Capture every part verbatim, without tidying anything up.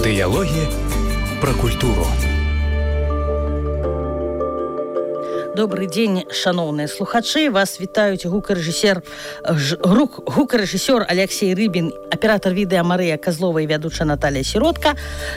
Дыялогі пра культуру. Добрый день, шановные слухачи. Вас вітаюць гукарэжысер гукарэжысёр Алексей Рыбин, аператор відэа Марыя Козлова і вядучая Наталья Сиротка.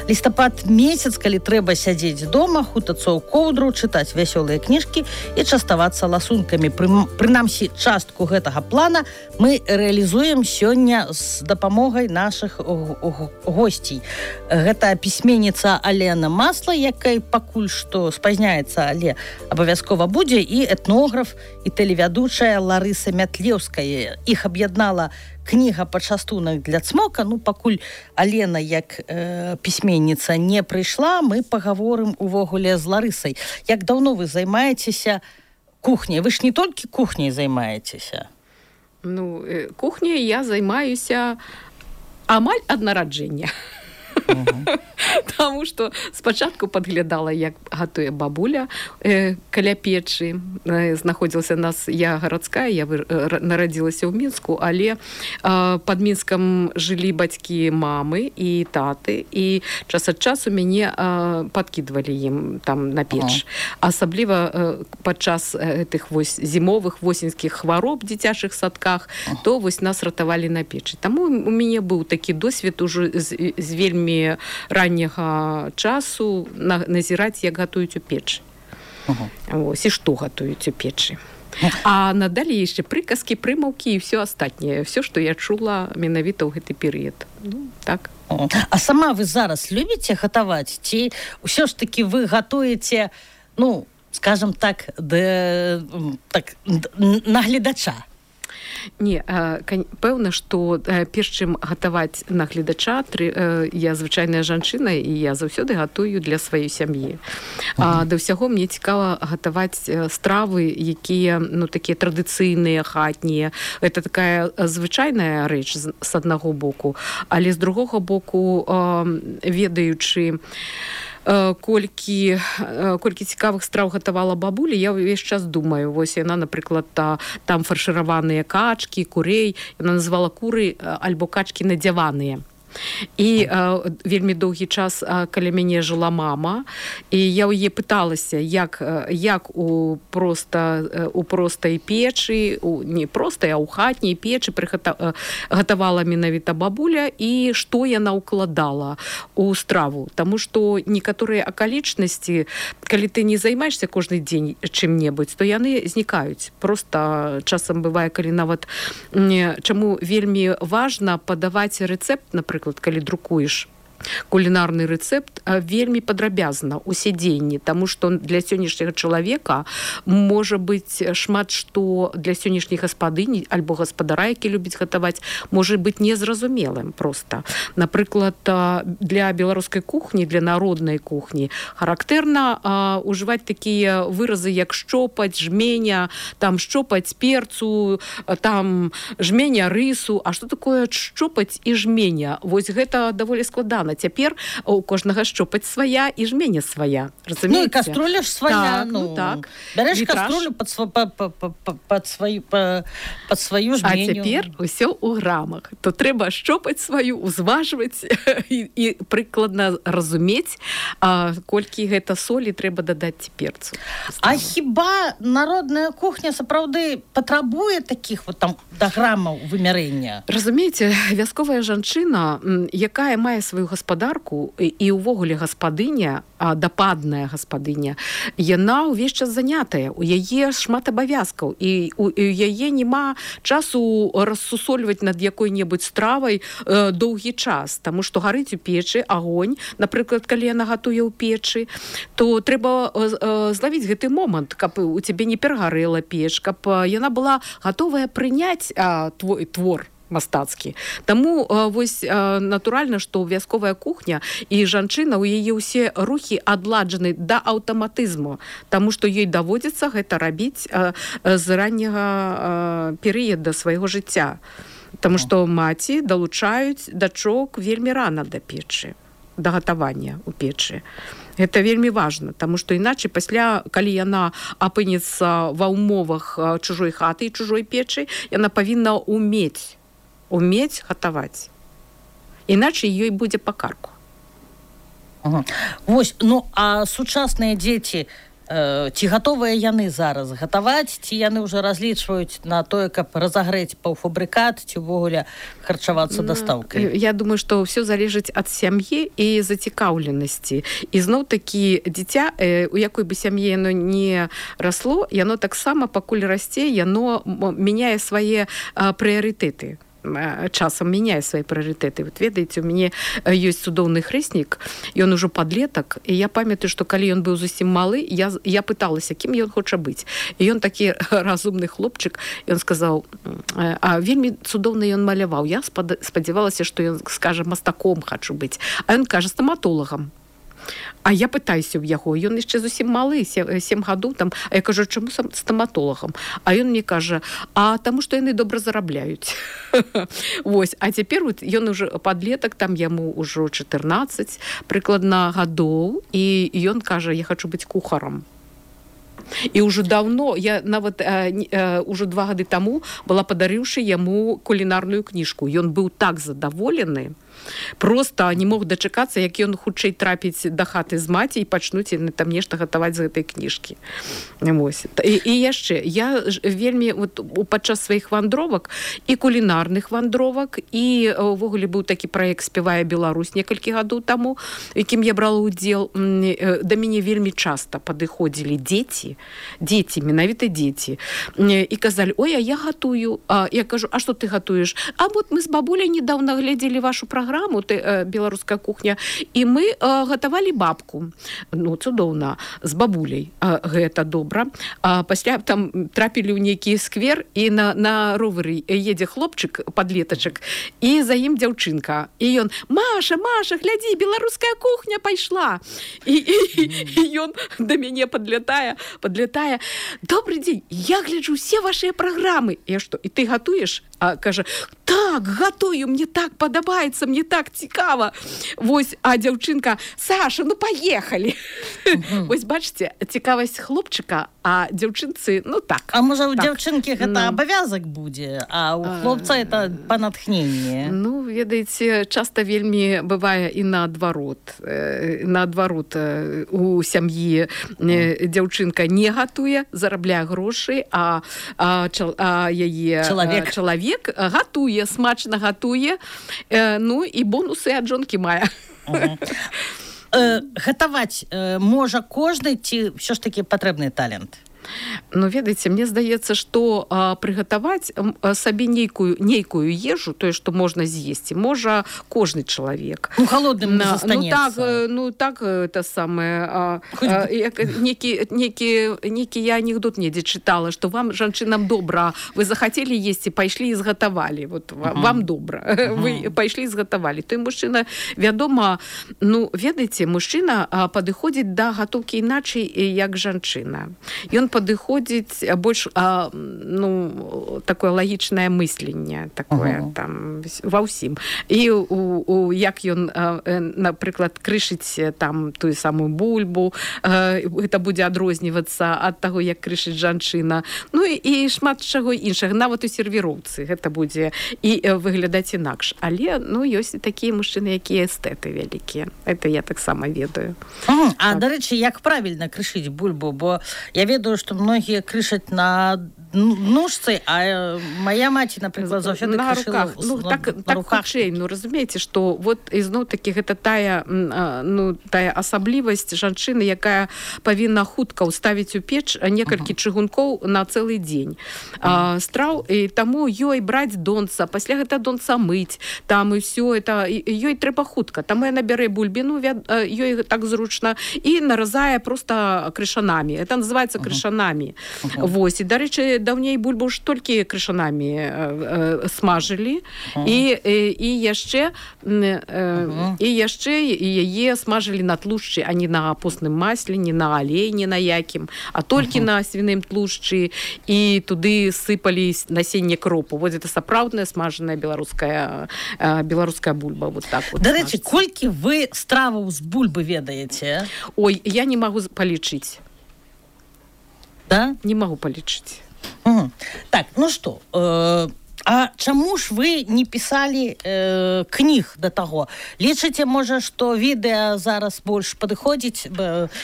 Лістапад месяц, калі трэба сядзець дома, хутацца ў коўдру, чытаць вясёлыя кніжкі і частавацца ласункамі. Прынамсі, частку гэтага плана мы рэалізуем сёння з дапамогай нашых госцей. Гэта пісьменніца Алена Масла, якая пакуль што спазняецца, але абавязкова будзе, і этнограф і тэлевядучая Ларыса Мятлеўская. Іх аб'яднала кніга «Пачастунак для цмока». Ну, пакуль Алена, як э, пісьменніца, не прыйшла, мы пагаворым увогуле з Ларысай. Як даўно вы займаецеся кухняй? Вы ж не толькі кухняй займаецеся. Ну, э, кухняй я займаюся амаль ад нараджэння. Uh-huh. Таму што спачатку падглядала, як гатуе бабуля э, каля печы. Э, знаходзілася нас, я гарадская, я вы, э, нарадзілася ў Мінску, але э, пад Мінскам жылі бацькі мамы і таты, і час ад часу мяне э, падкідвалі ім там на печ. Uh-huh. Асабліва э, падчас гэтых вось зімовых восеньскіх хвароб в дзіцячых садках, uh-huh. то вось нас ратавалі на печы. Таму у мяне быў такі досвед ужо з, з вельмі ранняга часу назіраць, як гатуюць у печы. Uh-huh. Ось, і што гатуюць у печы. Uh-huh. А надалей яшчэ прыказкі, прымаўкі і ўсё астатняе. Всё, што я чула менавіта ў гэты перыяд. Ну, так. Uh-huh. А сама вы зараз любіце гатаваць? Ці ўсё ж такі вы гатуеце, ну, скажам так, да, так на гледача? Не, пэўна, што перш чым гатаваць на гледача, я звычайная жанчына, і я заўсёды гатую для сваёй сям'і. Uh-huh. Да ўсяго мне цікава гатаваць стравы, якія, ну, такія традыцыйныя, хатнія. Гэта такая звычайная рэч з аднаго боку, але з другога боку, ведаючы колькі, колькі цікавых страў гатавала бабуля, я ўвесь час думаю, вось яна, напрыклад, та, там фаршыраваныя качкі, курей, яна называла куры альбо качкі надзяваныя. І э, вельмі доўгі час э, каля мяне жыла мама, і я ў яе пыталася, як, як у, проста, э, у простай печы, у, не простай, а ў хатняй печы прыгата, э, гатавала менавіта бабуля, і што яна ўкладала у страву. Таму што некаторыя акалічнасці, калі ты не займаешься кожны дзень чым-небудзь, то яны знікаюць. Проста часам бывае, калі нават не, чаму вельмі важна падаваць рэцэпт, напрыклад, калі друкуеш кулінарны рэцэпт, вельмі падрабязна ў сядзенні, таму што для сённяшняга чалавека можа быць шмат што для сённяшняй гаспадыні альбо гаспадара, які любіць гатаваць, можа быць незразумелым проста. Напрыклад, для беларускай кухні, для народнай кухні характэрна а, ужываць такія выразы, як шчопаць, жменя, там шчопаць перцу, там жменя рысу. А што такое шчопаць і жменя? Вось гэта даволі складана. Цяпер у кожнага шчопаць свая і жменя свая. Разумееце? Ну, і каструля ж свая. Так, ну, ну так. Бярэш каструлю пад, пад, пад, пад, сваю, пад, пад сваю жменю. А цяпер усё ў грамах. То трэба шчопаць сваю, узважваць і, і прыкладна разумець, а, колькі гэта солі трэба дадаць перцу. А хіба народная кухня сапраўды патрабуе такіх вот там да грамаў вымярэння? Разумееце, вясковая жанчына, якая мае сваю гаспадарку і ўвогуле гаспадыня, дападная гаспадыня, яна ўвесь час занятая, у яе шмат абавязкаў, і у яе няма часу рассусольваць над якой-небудзь стравай э, доўгі час, таму што гарыць у печы агонь, напрыклад, калі яна гатуе ў печы, то трэба э, злавіць гэты момант, каб у цябе не перагарэла печ, каб яна была гатовая прыняць э, твой твор мастацкі. Таму вось натуральна, што вясковая кухня і жанчына, у яе ўсе рухі адладжаны да аўтаматызму, таму што ёй даводзіцца гэта рабіць з ранняга перыяда свайго жыцця. Таму што маці далучаюць дачок вельмі рана да печы, да гатавання ў печы. Гэта вельмі важна, таму што іначай пасля, калі яна апынецца ва ўмовах чужой хаты і чужой печы, яна павінна умець умець гатаваць. Іначай ёй будзе па карку. Угу. Вось, ну, а сучасныя дзеці, ці гатовыя яны зараз гатаваць, ці яны ўжо разлічваюць на тое, каб разагрэць паўфабрыкат, ці ўвогуле харчавацца дастаўкай? Я думаю, што ўсё залежыць ад сям'і і зацікаўленасці. І зноў-такі дзіця, у якой бы сям'і яно не расло, яно таксама, пакуль расце, яно мяняе свае прыярытэты. Часам мяняе свае прыярытэты. Вот ведаеце, у мяне ёсць цудоўны хрэснік, ён ужо падлетак, і я памятаю, што калі ён быў зусім малы, я, я пыталася, кім ён хоча быць. І ён такі разумны хлопчык, ён сказаў, а вельмі цудоўна ён маляваў. Я спадзявалася, што ён скажа, мастаком хачу быць. А ён кажа, стаматолагам. А я пытаюся ў яго, ён яшчэ зусім малы, сем гадоў там, а я кажу, чаму стаматолагам? А ён мне кажа, а таму што яны добра зарабляюць. Вось, а цяпер вот, ён уже падлетак, там яму ўжо чатырнаццаць прыкладна гадоў, і ён кажа, я хачу быць кухарам. І ўжо даўно, я нават э, э, ўжо два гады таму была падарыўшы яму кулінарную кніжку. Ён быў так задаволены, просто не мог дачакацца, як ён хутчэй трапіць да хаты з маці і пачнуць яны там нешта гатаваць з гэтай кніжкі. І, і яшчэ, я вельмі вот, падчас сваіх вандровак і кулінарных вандровак, і ўвогуле быў такі праект «Спявае Беларусь» некалькі гадоў таму, якім я брала ўдзел, да мяне вельмі часта падыходзілі дзеці, дзеці, менавіта дзеці, і казалі, ой, а я гатую. А я кажу, а што ты гатуеш? А вот мы з бабуляй недаўна глядзелі вашу праграму, ты, э, беларуская кухня, і мы э, гатавалі бабку. Ну, цудоўна, з бабуляй. А, гэта добра. А пасля там трапілі ў нейкі сквер, і на, на ровары едзе хлопчык, падлетачак, і за ім дзяўчынка. І ён, Маша, Маша, глядзі, беларуская кухня пайшла. І, і, і ён да мяне падлятае, падлятае. Добрый дзень, я гляджу ўсе вашыя праграмы. Я што, і ты гатуеш? А кажа, так, гатую, мне так падабаецца, мне так цікава. Вось, а дзяўчынка, Саша, ну паехалі. Mm-hmm. Вось, бачыце, цікавасць хлопчыка, а дзяўчынцы, ну так. А можа, у так. дзяўчынкі гэта no. абавязак будзе, а у хлопца это па натхненне? Ну, ведаеце, часта вельмі бывае і наадварот. Наадварот, у сям'і дзяўчынка не гатуе, зарабляе грошы, а, а, а яе чалавек, чалавек гатуе, смачна гатуе, э, ну і бонусы ад жонкі мае. Uh-huh. э, гатаваць э, можа кожны, ці ўсё ж такі патрэбны талент? Ну, ведаеце, мне здаецца, што а, прыгатаваць а, сабе нейкую, нейкую ежу, тое, што можна з'есці, можа кожны чалавек. Ну, холодным не застанецца. Ну, так, ну, так это самае... А, а, некі, некі, некі я анекдот недзе чытала, што вам, жанчынам, добра, вы захацелі есці, пайшлі і згатавалі. Вот, uh-huh. Вам добра. Uh-huh. Вы пайшлі і згатавалі. Той мужчына, вядома, ну, ведаеце, мужчына а, падыходзіць да гатоўкі іначай, як жанчына. Ён падыходзіць больш а, ну, такое лагічнае мысленне такое uh-huh. там ва ўсім. І у, у, як ён, а, напрыклад, крышыць там тую самую бульбу, а, гэта будзе адрознівацца ад таго, як крышыць жанчына. Ну і, і шмат чаго іншага. Нават у сервіроўцы гэта будзе і выглядаць інакш. Але, ну, ёсць такія мужчыны, якія эстэты вялікія. Это я таксама ведаю. Uh-huh. А, так. Дарэчы, як правільна крышыць бульбу? Бо я ведаю, што многія крышаць на ножцы, а моя маці, напрыклад, заўсёды на крышыла руках. Ну, на, так, на так руках. Хутчэй, ну, разумееце, што вот ізноў-такі гэта тая, ну, тая асаблівасць жанчыны, якая павінна хутка ўставіць у печ некалькі uh-huh. чыгункоў на цэлы дзень. Uh-huh. А, страў, і таму ёй браць донца, пасля гэта донца мыць, там і ўсё, это, ёй трэба хутка. Таму яна бярэ бульбіну, ёй так зручна, і наразае проста крышанамі. Это называецца uh-huh. крышанамі. Uh-huh. Вось, і, дарэчы, даўней бульбу ж толькі крышанамі э, э, смажылі, uh-huh. і, і, і яшчэ э, uh-huh. і яшчэ яе смажылі на тлушчы, а не на постным масле, не на алей, не на якім, а толькі uh-huh. на свіным тлушчы, і туды сыпалі насенне кропу. Вот это сапраўдная смажаная беларуская, э, беларуская бульба. Вот так вот. Дарэчы, колькі вы страваў з бульбы ведаеце? Ой, я не магу палічыць. Да? Не могу полечить. Угу. Так, ну что, э, А чаму ж вы не пісалі э, кніг да таго? Лічыце, можа, што відэа зараз больш падыходзіць,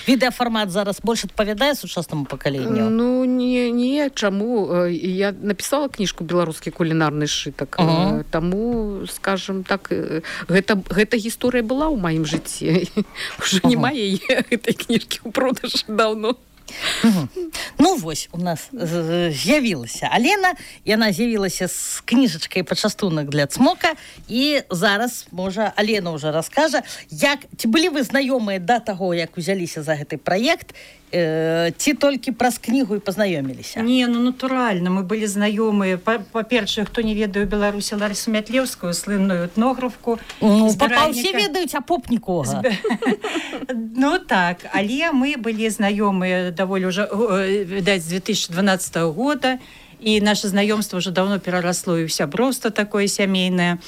відэафармат зараз больш адпавядае сучаснаму пакаленню? Ну, не, не, чаму? Я напісала кніжку «Беларускі кулінарны сшытак. Uh-huh. Таму, скажем так, гэта, гэта гісторыя была ў маім жыцці. Уже uh-huh. няма яе гэтай кніжкі ў продажы даўно. Угу. Ну вось у нас з'явілася Алена, яна з'явілася з кніжачкай пачастунак для цмока, і зараз можа Алена ўжо раскажа, як ці былі вы знаёмыя да таго, як узяліся за гэты праект, э, ці толькі праз кнігу і пазнаёміліся? Не, ну натуральна, мы былі знаёмыя. Па-першае, хто не ведае Беларусі Ларысу Мятлеўскую, слынную этнографку. Ну, папа ўсе ведаюць, а поп нікога. Ну так, але мы былі знаёмыя даволі ўжо, відаць, з две тысячы дванаццатага года, і наша знаёмства ўжо даўно перарасло і ў сяброўства такое сямейнае.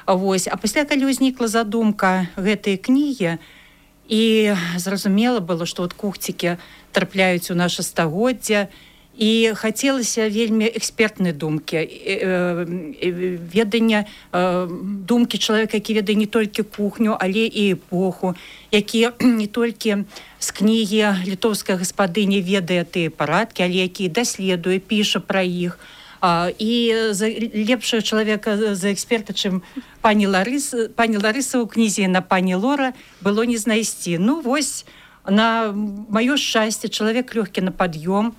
Вось. А пасля, калі ўзнікла задумка гэтай кнігі, і зразумела было, што от кухцікі трапляюць у наша стагоддзя, і хацелася вельмі экспертнай думкі, ведання думкі чалавека, які ведае не толькі кухню, але і эпоху, які не толькі з кнігі літоўская гаспадыня ведае тыя парадкі, але які даследуе, піша пра іх. І лепшага чалавека за эксперта, чым пані Ларыса, пані Ларыса ў кнізе на пані Лора было не знайсці. Ну вось, на маё шчасце, чалавек лёгкі на пад'ём,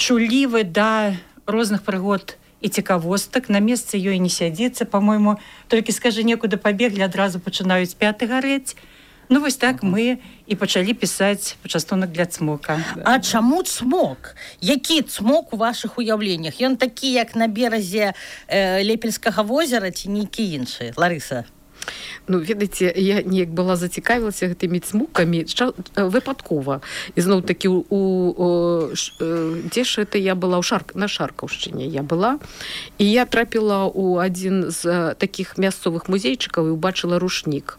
чулівы да розных прыгод і цікавостак, на месцы ёй не сядзіцца, па-мойму, толькі скажы некуды пабеглі, адразу пачынаюць пяты гарэць. Ну вось так мы і пачалі пісаць пачастунак для цмока. А чаму цмок? Які цмок у вашых уяўленнях? Ён такі, як на беразе э, Лепельскага возера ці нейкі іншы? Ларыса? Ну, ведаеце, я неяк была зацікавілася гэтымі цмукамі выпадкова. І зноў-такі, у, у, дзе ж это я была? У Шарк... на Шаркаўшчыне я была. І я трапіла ў адзін з такіх мясцовых музейчыкаў і ўбачыла рушнік.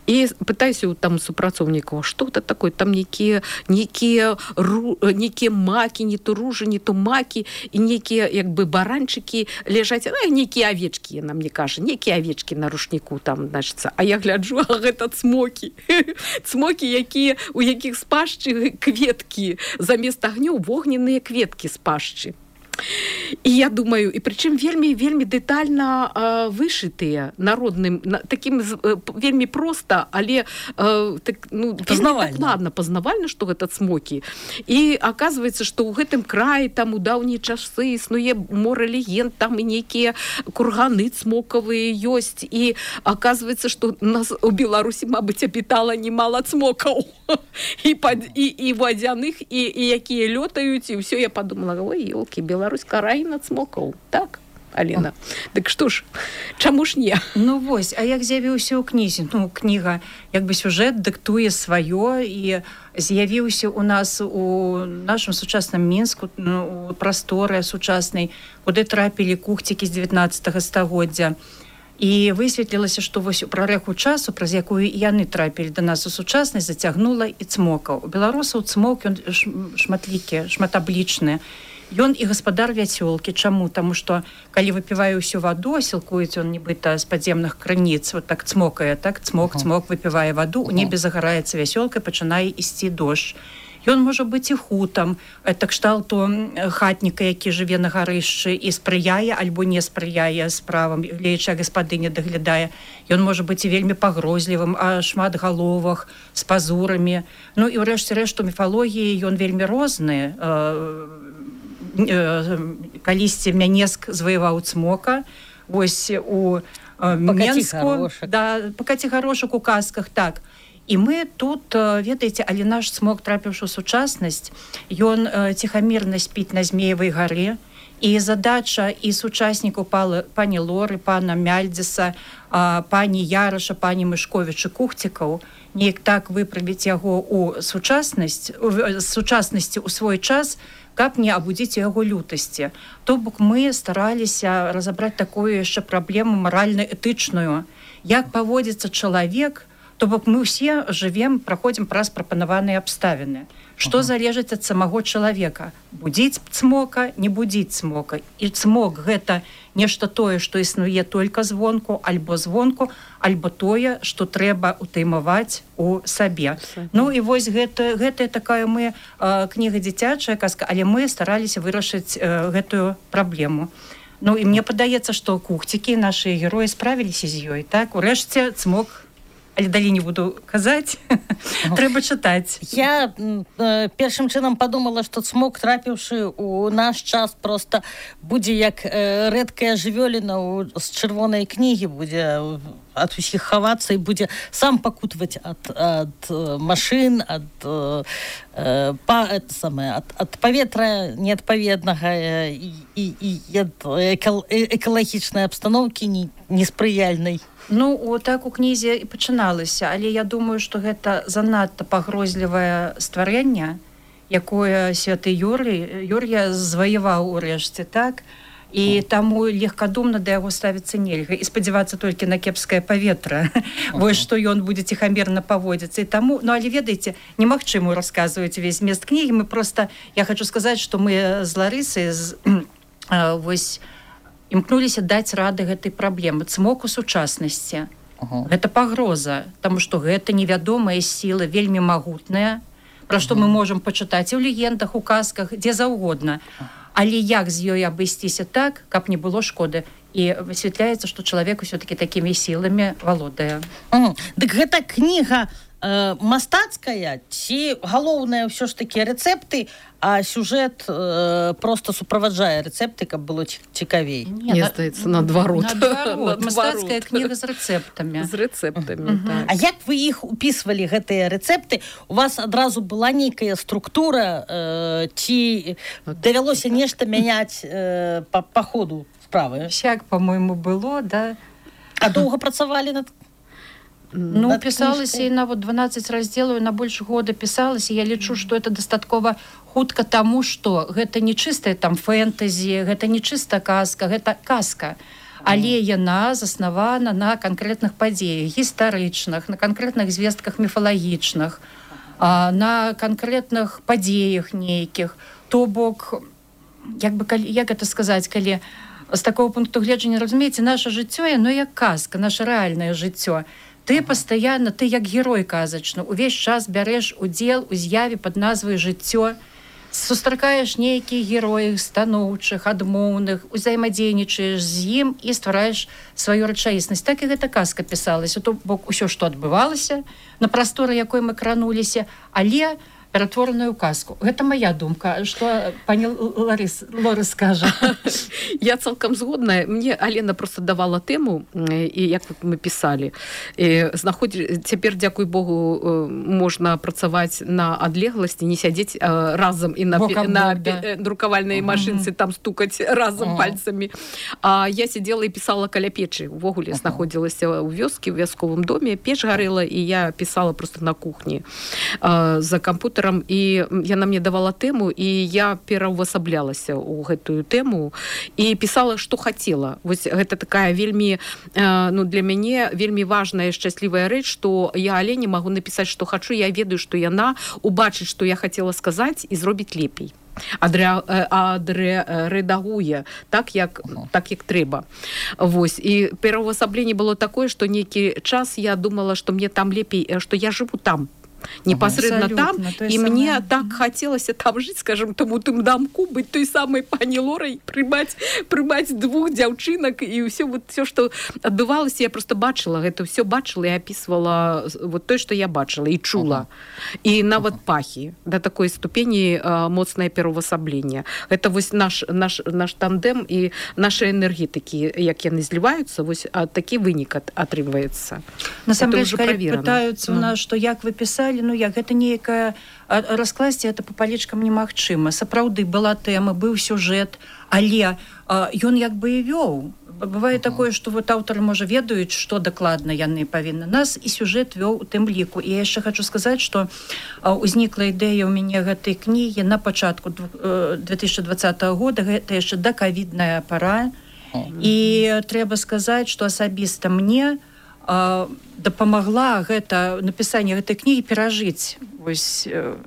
І пытаюся там супрацоўнікаў, што гэта такое? Там нейкія нейкія ру... нейкія макі, не то ружы, не то макі, і нейкія як бы баранчыкі ляжаць, а нейкія авечкі, яна мне кажа, нейкія авечкі на рушніку там, значыцца. А я гляджу, а гэта цмокі. Цмокі, якія, у якіх з пашчы кветкі, замест агнёў вогненныя кветкі з пашчы. І я думаю, і прычым вельмі вельмі дэтальна э, вышытыя народным, на, такім э, вельмі проста, але э, так, ну, пазнавальна. Ладно, пазнавальна, што гэта цмокі. І аказваецца, што ў гэтым краі там у даўнія часы існуе мора легенд, там і нейкія курганы цмокавыя ёсць. І аказваецца, што нас у Беларусі, мабыць, абітала немала цмокаў. І, пад, і, і вадзяных, і, і якія лётаюць, і ўсё. Я падумала, ой, ёлкі, Беларусь краіна цмокаў, так, Алена? Дык што ж, чаму ж не? Ну вось, а як з'явіўся ў кнізе? Ну, кніга, як бы сюжэт дыктуе сваё, і з'явіўся у нас у нашым сучасным Мінску, ну, у прасторы сучаснай, куды трапілі кухцікі з дзевятнаццатага стагоддзя. І высветлілася, што вось у прарэху часу, праз якую яны трапілі да нас у сучаснасць, зацягнула і цмокаў. У беларусаў цмок, ён шматлікі, шматаблічны. Ён і гаспадар вясёлкі. Чаму? Таму што, калі выпівае ўсю ваду, сілкуецца ён нібыта з падземных крыніц, вот так цмокае, так, цмок, цмок, выпівае ваду, у небе загараецца вясёлка, пачынае ісці дождж. Ён можа быць і хутам, это кшталту хатніка, які жыве на гарышчы і спрыяе альбо не спрыяе справам, гледзячы, гаспадыня даглядае. Ён можа быць і вельмі пагрозлівым, а шмат галовах, з пазурамі. Ну і ўрэшце рэшт у міфалогіі ён вельмі розны. Калісьці Мянеск заваяваў цмока, вось у Менску, да, па Кацігарошак у казках, так. І мы тут, ведаеце, але наш цмок, трапіўшы ў сучаснасць, ён ціхамірна спіць на Змеевай гары, і задача і сучаснікаў пані Лоры, пана Мяльдзіса, пані Яраша, пані Мышковіча, кухцікаў, неяк так выправіць яго ў сучаснасць, з сучаснасці ў свой час, каб не абудзіць яго лютасці. То бок мы стараліся разабраць такую яшчэ праблему маральна-этычную. Як паводзіцца чалавек То бок мы ўсе жывем, праходзім праз прапанаваныя абставіны. Што ага. залежыць ад самого чалавека? Будзіць цмока, не будзіць цмока. І цмок гэта нешта тое, што існуе толькі звонку, альбо звонку, альбо тое, што трэба утаймаваць у сабе. Ну і вось гэта, гэта такая мы э, кніга дзіцячая казка, але мы стараліся вырашыць э, гэтую праблему. Ну і мне падаецца, што кухцікі, нашы героі справіліся з ёй, так? Урэшце цмок, але далей не буду казаць, трэба чытаць. Я э, першым чынам падумала, што цмок, трапіўшы у наш час, просто будзе як э, рэдкая жывёліна ў, з чырвонай кнігі, будзе ад усіх хавацца і будзе сам пакутваць ад, ад машын, ад, э, па, это самае, ад, ад паветра неадпаведнага э, і, і, і ад экал, экалагічнай абстаноўкі не, неспрыяльнай. Ну, о, так у кнізе і пачыналася, але я думаю, што гэта занадта пагрозлівае стварэнне, якое святы Юрый, Юр'я зваяваў урэшце, так? І таму легкадумна да яго ставіцца нельга. І спадзявацца толькі на кепскае паветра. Вось што ён будзе ціхамерна паводзіцца. І таму, ну, але ведаеце, немагчыма расказваць увесь змест кнігі. Мы проста, я хочу сказаць, што мы з Ларысай, з, э, вось, імкнуліся даць рады гэтай праблемы. Цмок у сучаснасці. Uh-huh. Гэта пагроза, таму што гэта невядомая сіла, вельмі магутная, пра што uh-huh. мы можам пачытаць і ў легендах, у казках, дзе заўгодна. Але як з ёй абысціся так, каб не было шкоды? І высвятляецца, што чалавек усё-такі такімі сіламі валодае. Uh-huh. Дык гэта кніга э, мастацкая, ці галоўнае ўсё ж такі рэцэпты, а сюжет э, просто суправаджае рэцэпты, каб было цікавей. Мне здаецца, наадварот. Наадварот. Мастацкая кніга з рэцэптамі. З рэцэптамі, uh-huh. так. А як вы іх упісвалі, гэтыя рэцэпты? У вас адразу была нейкая структура, э, ці давялося нешта мяняць э, па, па ходу справы? Всяк, по-моему, было, да. А доўга працавалі над Ну, пісалася і на вот дванаццаць раздзелаў, на больш года пісалася. Я лічу, што это дастаткова хутка таму, што гэта не чыстая там фэнтэзі, гэта не чыста казка, гэта казка. Але яна заснавана на канкрэтных падзеях гістарычных, на канкрэтных звестках міфалагічных, на канкрэтных падзеях нейкіх. То бок, як бы, як гэта сказаць, калі з такого пункту гледжання, разумееце, наша жыццё, яно як казка, наше рэальнае жыццё. Ты пастаянна, ты як герой казачны, увесь час бярэш удзел у з'яве пад назвай жыццё, сустракаеш нейкіх герояў станоўчых, адмоўных, узаемадзейнічаеш з ім і ствараеш сваю рэчаіснасць. Так і гэта казка пісалася. То бок усё, што адбывалася на прасторы, якой мы крануліся, але ператвораную казку. Гэта моя думка. Што пані Ларыс, Лора скажа? Я цалкам згодная. Мне Алена просто давала тэму, і як мы пісалі. Знаходзі... Цяпер, дзякуй Богу, можна працаваць на адлегласці, не сядзець разам і на, на бок, да. друкавальнай машынцы, там стукаць разам uh-huh. пальцамі. А я сидела і пісала каля печы. Увогуле uh-huh. знаходзілася ў вёскі, ў вясковым доме, печ гарэла, і я пісала просто на кухні за кампутер. І яна мне давала тэму, і я пераўвасаблялася ў гэтую тэму і пісала, што хацела. Вось гэта такая вельмі, ну, для мяне вельмі важная, шчаслівая рэч, што я Алене магу напісаць, што хачу, я ведаю, што яна убачыць, што я хацела сказаць, і зробіць лепей. Адрэдагуе так як, так, як трэба. Вось. І пераўвасабленне было такое, што нейкі час я думала, што мне там лепей, што я жыву там. Непосредственно ага, там, і самое... мне так хацелася там жыць, скажем, тому тым дамку, быць той самай пані Лорай, прымаць, прымаць двух дзяўчынак, і ўсё, вот, всё, што адбывалася, я просто бачыла, гэта ўсё бачыла і апісвала вот той, што я бачыла і чула. Ага. І нават ага. пахі, да такой ступені а, моцнае пераўвасабленне. Гэта вось наш, наш, наш тандем і нашы энергетыкі, як яны зліваюцца, вось а, такі вынік атрымваецца. Насамрэч, калі пытаюцца ў нас, што як вы пісалі, ну як, гэта нейкая раскласці, это па палечкам немагчыма. Сапраўды была тэма, быў сюжэт, але а, ён як бы і вёў. Бывае uh-huh. такое, што вот аўтары, можа, ведаюць, што дакладна яны павінны. Нас і сюжэт вёў у тым ліку. І я яшчэ хочу сказаць, што а, узнікла ідэя ў мяне гэтай кнігі на пачатку две тысячи двадцатого года, гэта яшчэ дакавідная пара. Uh-huh. І трэба сказаць, што асабіста мне э, дапамагла гэта напісанне гэтай кнігі перажыць вось э,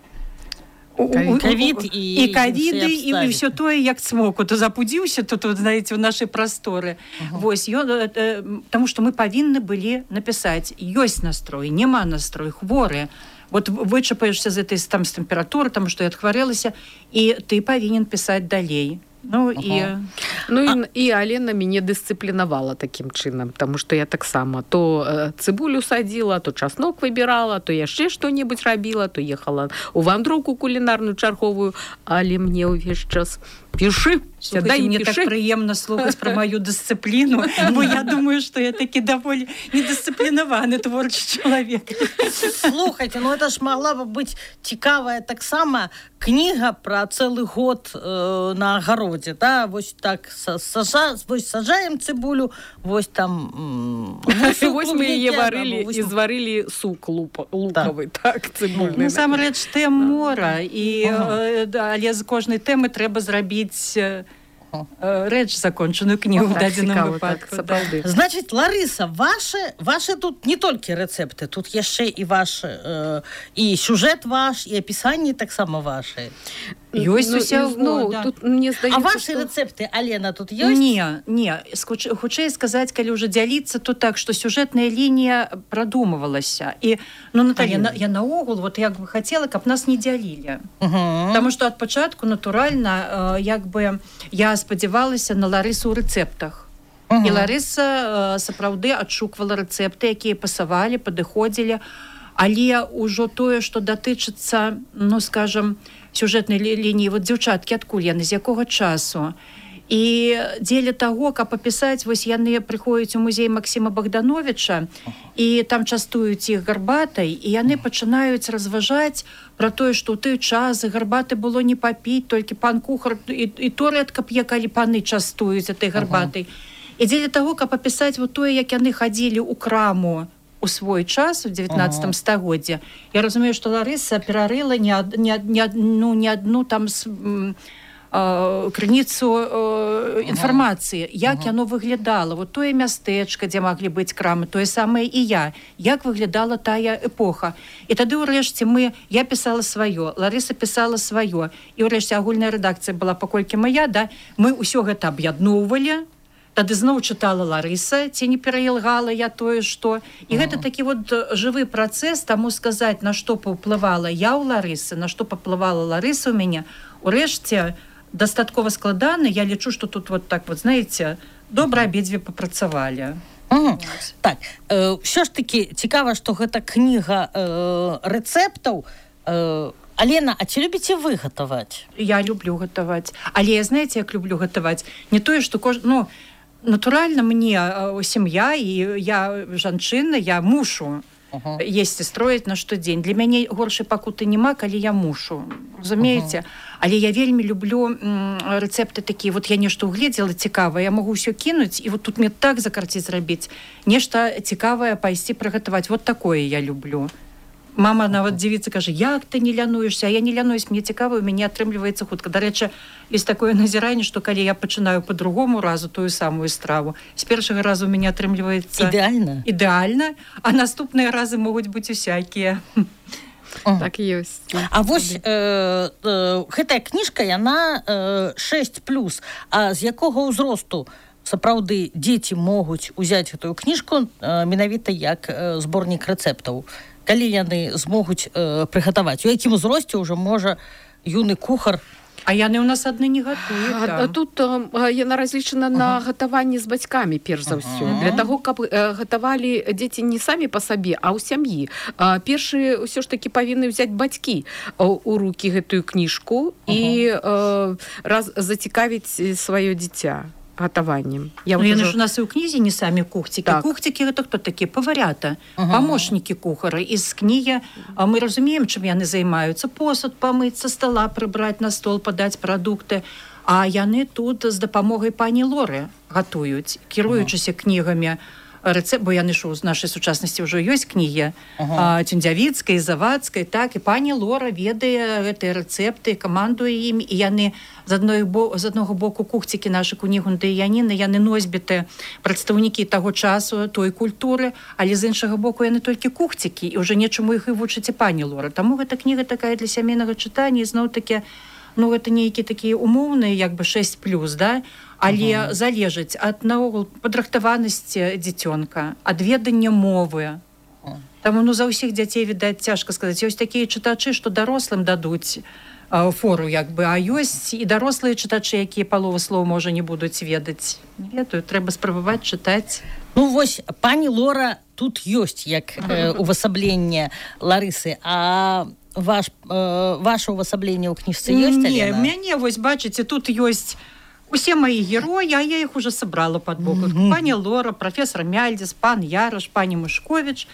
ковід і і ковіды і ўсё тое як цмоку то запудзіўся то тут знаете у нашай прасторы uh-huh. вось ён э, тому что мы павінны былі напісаць ёсць настрой няма настрой хворыя вот вычапаешься з этой там з тэмпературы там што я адхварэлася і ты павінен пісаць далей. Ну і ага. ну і, і Алена мяне дысцыплінавала такім чынам, таму што я таксама то э, цыбулю садзіла, то часнок выбірала, то яшчэ што-небудзь рабіла, то ехала у вандроўку кулінарную чарговую, але мне ўвесь час пішы, сядай, мне піши. Так прыемна слухаць пра маю дысцыпліну, бо я думаю, што я такі даволі недысцыплінаваны творчы чалавек. Слухайте, ну это ж могла бы быць цікавая таксама кніга пра цэлы год э, на агародзе, да? Вось так сажа, вось сажаем цыбулю, вось там вось мы яе варылі і зварылі сук лукавы, так, цыбульны. Насамрэч тэм мора, і але з кожнай тэмы трэба зрабіць рэч закончаную кнігу в дадзеным выпадку. Значит, Ларыса, ваши, ваши тут не толькі рэцэпты, тут яшчэ і ваш э, і сюжэт ваш, і апісанні таксама ваши. Ёсць усяго, ну, да. Тут, мне здаецца, а ваши што... рэцэпты, Алена, тут ёсць? Не, не. Хутчэй сказаць, калі ўжо дзяліцца, то так, што сюжэтная лінія прадумывалася. І, ну, Наталья, на, я наогул, вот як бы хацела, каб нас не дзялілі. Uh-huh. Таму што ад пачатку, натуральна, э, як бы я спадзявалася на Ларысу ў рэцэптах. Uh-huh. І Ларыса э, сапраўды адшуквала рэцэпты, якія пасавалі, падыходзілі, але ўжо тое, што датычыцца, ну, скажам, сюжэтнай лініі, вот дзяўчаткі, адкуль яны, з якога часу. І дзеля таго, каб апісаць, вось яны прыходзяць у музей Максіма Богдановича, і там частуюць іх гарбатай, і яны пачынаюць разважаць пра тое, што ў той час гарбаты было не папіць, толькі пан кухар, і, і то рэдка п'е, калі паны частуюць этой гарбатай. Uh-huh. І дзеля таго, каб апісаць вот тое, як яны хадзілі ў краму у свой час у дзевятнаццатым стагоддзе. Я разумею, што Ларыса перарыла не, ад, не, не, ну, не адну там с, м, э, крыніцу э, інфармацыі, як ага. яно выглядала. Вот тое мястэчка, дзе маглі быць крамы, тое самае і я. Як выглядала тая эпоха. І тады ўрэшце мы, я пісала сваё, Ларыса пісала сваё, і ўрэшце агульная рэдакцыя была паколькі моя, да, мы ўсё гэта аб'ядноўвалі. Тады зноў чытала Ларыса, ці не пераілгала я тое, што. І гэта такі вот жывы працэс, таму сказаць, на што паўплывала я ў Ларысы, на што паўплывала Ларыса ў мяне. Урэшце, дастаткова складана, я лічу, што тут вот так вот, знаеце, добра абедзве папрацавалі. Угу. Так, э, ўсё ж такі цікава, што гэта кніга э, рэцэптаў. Э, Алена, а ці любіце вы гатаваць? Я люблю гатаваць. Але я, знаеце, як люблю гатаваць? Не тое, што кож... ну, натуральна, мне э, сям'я, і я жанчына, я мушу uh-huh. есці, строіць на штодзень. Для мяне горшай пакуты няма, калі я мушу. Разумееце? Uh-huh. Але я вельмі люблю м, рэцэпты такія. Вот я нешта угледзела цікавае, я магу ўсё кінуць, і вот тут мне так закарціць зрабіць. Нешта цікавае пайсці прыгатаваць. Вот такое я люблю. Мама нават дзівіцца, кажа, як ты не лянуешься, а я не лянуюсь, мне цікава, у мяне атрымліваецца хутка. Дарэчы, ёсць такое назіранне, што калі я пачынаю по другому разу тую самую страву, з першага разу у мяне атрымліваецца ідэальна, ідэальна, а наступныя разы могуць быць усякія. Так і ёсць. А вось э, э, гэтая кніжка, яна э, шэсць плюс. А з якога ўзросту сапраўды дзеці могуць узяць гэтую кніжку э, менавіта як э, зборнік рэцэптаў? Калі яны змогуць э, прыгатаваць? У якім узросце ўжо можа юны кухар? А яны ў нас адны не гатуюць. А, тут э, яна разлічана uh-huh. на гатаванні з бацькамі, перш за ўсё. Uh-huh. Для таго, каб э, гатавалі дзеці не самі па сабе, а ў сям'і. А, першы ўсё ж такі павінны ўзяць бацькі у рукі гэтую кніжку uh-huh. і э, раз зацікавіць сваё дзіця гатаваннем. Я ну, яны ж у нас і ў кнізе не самі кухцікі. Так. Кухцікі гэта хто такі? Паварята, ага. памочнікі кухара. І з кнігі мы разумеем, чым яны займаюцца. Посуд памыць, са стола прыбраць, на стол падаць прадукты. А яны тут з дапамогай пані Лоры гатуюць, кіруючыся ага. кнігамі рэцэпт, бо яны ж у нашай сучаснасці ўжо ёсць кнігі ага. Цюндзявіцкай, Завадскай, так, і пані Лора ведае гэтыя рэцэпты, камандуе ім, і яны з адной бо, з аднаго боку кухцікі нашы Кунігунда і Яніны, яны носьбіты, прадстаўнікі таго часу, той культуры, але з іншага боку яны толькі кухцікі, і ўжо нечаму іх і вучыць і пані Лора. Таму гэта кніга такая для сямейнага чытання, і зноў-такі, ну, гэта нейкі такія умоўныя, як бы шэсць плюс, да? Але uh-huh. залежыць ад наогул падрыхтаванасці дзіцёнка, ад ведання мовы. Uh-huh. Таму, ну, за ўсіх дзяцей, відаць, цяжка сказаць. Ёсць такія чытачы, што дарослым дадуць фору, як бы, а ёсць і дарослыя чытачы, якія палову слоў, можа, не будуць ведаць. Не ведаю, трэба спрабаваць чытаць. Ну, вось, пані Лора тут ёсць, як э, увасабленне Ларысы, а ваш, э, ваше увасабленне ў кніжцы ёсць, Алена? Не, мяне, вось, бачыце, тут ёсць усе мои герои, а я их уже собрала под боком. Mm-hmm. Пані Лора, профессор Мяльдис, пан Ярош, пані Мышкович.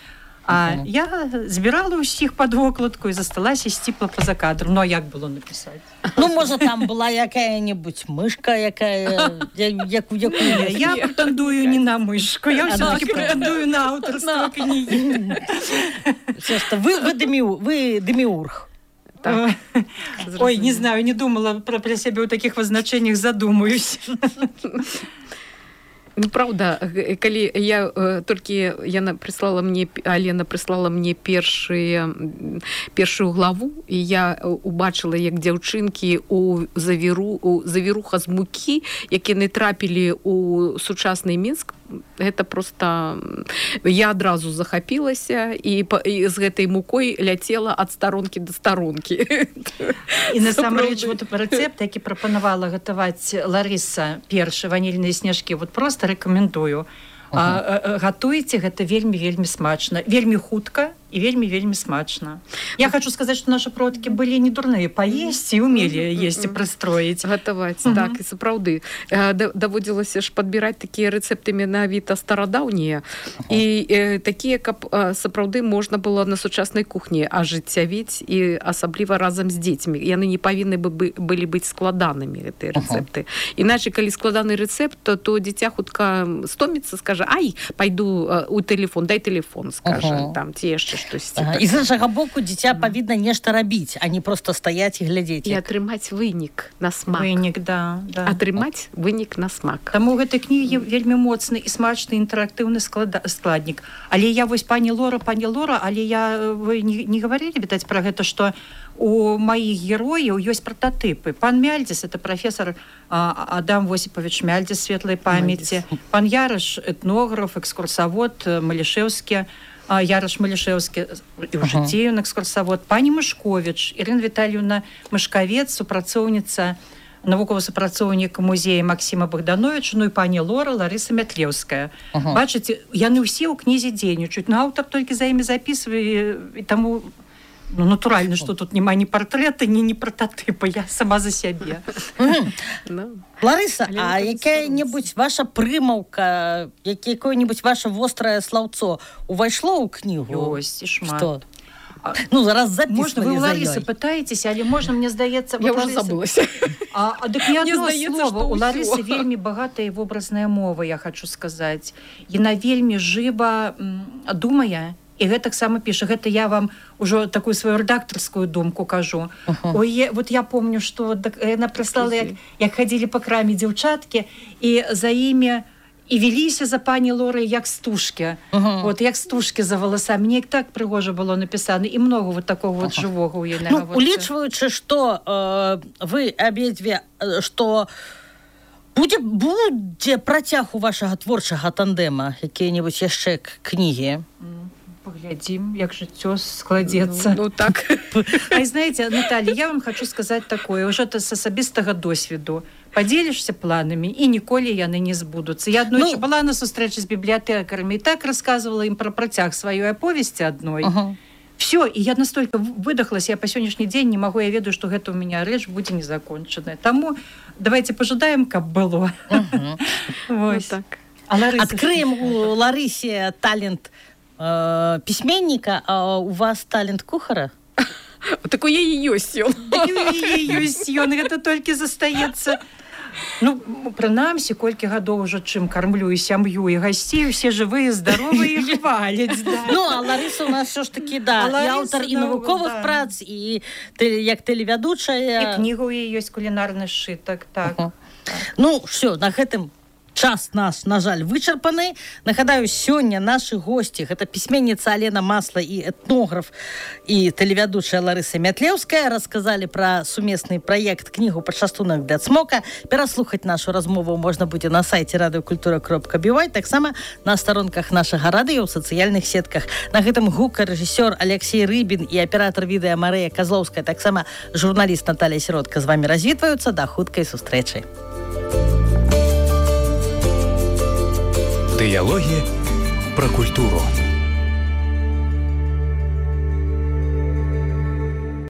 А uh-huh. я збирала усіх під вокладку і засталася сціпла поза кадром. Ну, а як було написати? Ну, може, там була яка-небудь мишка, яка... яку, яку... Я претендую не на мишку, я все-таки претендую на авторство книги. Ви, ви, деміу, ви деміург. Так. Ой, не знаю, не думала про, про себя в таких возначениях, задумаюсь. Ну, правда, калі я толькі яна прыслала мне, Алена прыслала мне першыя, першую главу, і я убачыла, як дзяўчынкі у завіру, у завіруха з мукі, які не трапілі у сучасны Мінск, гэта просто... Я адразу захапілася і, і з гэтай мукой ляцела ад старонкі да старонкі. І насамрэч, вот рэцэпт, які прапанавала гатаваць Ларыса першы, ванільныя снежкі, вот просто рекомендую. Uh-huh. А, гатуйце, гэта вельмі-вельмі смачна. Вельмі хутка і вельмі-вельмі смачна. Я хочу сказаць, што нашы продкі былі не дурныя паесці і умелі есці прыстроіць. Гатаваць, uh-huh. так, і сапраўды. Даводзілася ж падбіраць такія рэцэпты менавіта старадаўнія. Uh-huh. І э, такія, каб э, сапраўды можна было на сучаснай кухні ажыццявіць і асабліва разам з дзецьмі. Яны не павінны бы, былі быць складанымі, гэтыя рэцэпты. Uh-huh. Іначай, калі складаны рэцэпт, то, то дзіця хутка стоміцца, скажа, ай, пайду у телефон, дай телефон, скажа, uh-huh. там, ці яшчэ штось. Ага. І з іншага боку дзіця павінна нешта рабіць, а не просто стаяць і глядзець. І атрымаць вынік на смак. Вынік, да. да. Атрымаць вынік на смак. Таму ў гэтай кнігі вельмі моцны і смачны інтэрактыўны склад... складнік. Але я вось пані Лора, пані Лора, але я, вы не, не говорили, відаць, пра гэта, што у маіх герояў ёсць прататыпы. Пан Мяльдис, это профессор а, Адам Восипович Мяльдис, светлай памяти. Пан Ярош, этнограф, экскурсовод, Малішэўскі, а, Ярош Малішэўскі, і ў жыцці ён экскурсовод. Пані Мышкович, Ірына Віталіўна Мышкавец, супрацоўніца, навуковы супрацоўнік музея Максима Богдановича, ну і пані Лора, Ларыса Мятлеўская. Uh-huh. Бачыце, яны ўсе ў кнізе дзейнічаюць, но аўтар толькі за імі запісвае, і таму... Ну, натуральна, што тут няма ні партрэта, ні ні прататыпа, я сама за сябе. Ларыса, а якая-небудзь ваша прымаўка, якое-небудзь ваше вострае слаўцо увайшло ў кнігу? Ёсць, і шмат. Што? Ну, зараз записывали. Можна, вы у Ларысы пытаетесь, але можна, мне здаецца... Я уже забылася. А, а дык не одно слово. У Ларысы вельмі багатая вобразная мова, я хочу сказаць. Яна вельмі жыва думае, і гэтак сама піша. Гэта я вам ужо такую сваю рэдактарскую думку кажу. Uh-huh. Ой, вот я помню, што яна прыслала, як, як хадзілі па краме дзяўчаткі, і за імі і веліся за пані Лорай як стужкі. Uh-huh. Вот, як стужкі за валасамі. Мне так прыгожа было напісана. І много вот такого вот uh-huh. жывога ў яе. Ну, улічваючы, што э, вы абедзве, што будзе, будзе працяг у вашага творчага тандэма, якія-небудзь яшчэ кнігі? Поглядим, як жыццё складецца. Ну, ну так. А знаете, Наталья, я вам хочу сказать такое, уже это с асабістага досведу. Поделишься планами, и ніколі яны не збудуцца. Я одной ну, была на сустрэчы з бібліятэкарамі и так рассказывала им про працяг сваёй аповесці одной. Ага. Все, и я настолько выдохлась, я по сегодняшний день не могу, я ведаю, что гэта у меня рэч будзе незакончаная. Таму давайте пожадаем, каб было. Ага. Вот так. А Открыем у Ларысе талент э, письменника, а у вас талент кухара? Так у яе ёсць ён. Так у яе ёсць ён, гэта толькі застаецца Ну, прынамсі, колькі гадоў ужо чым кармлю і сям'ю, і гасцей, усе жывыя, здаровыя і хваляць. Да. Ну, а Ларыса у нас все ж таки, да, А і Лариса, аўтар і ну, навуковых да. прац, і тэле- як тэлевядучая. І кніга ў яе ёсць кулінарны сшытак, так. Ага. Ну, все, на гэтым час наш, на жаль, вычарпаны. Нагадаю, сёння нашы госці, гэта пісьменніца Алена Масла і этнограф і тэлевядучая Ларыса Мятлеўская, расказалі пра сумесны праект кнігу «Пачастунак для цмока». Пераслухаць нашу размову можна будзе на сайце радыёкультура кропка би вай, таксама на старонках нашага радыё ў сацыяльных сетках. На гэтым гукарэжысёр Алексей Рыбін і аператар відэа Марыя Казлоўская, таксама журналіст Наталья Сіротка з вамі развітваюцца. Да хуткай сустрэчы. Дыялогі пра культуру.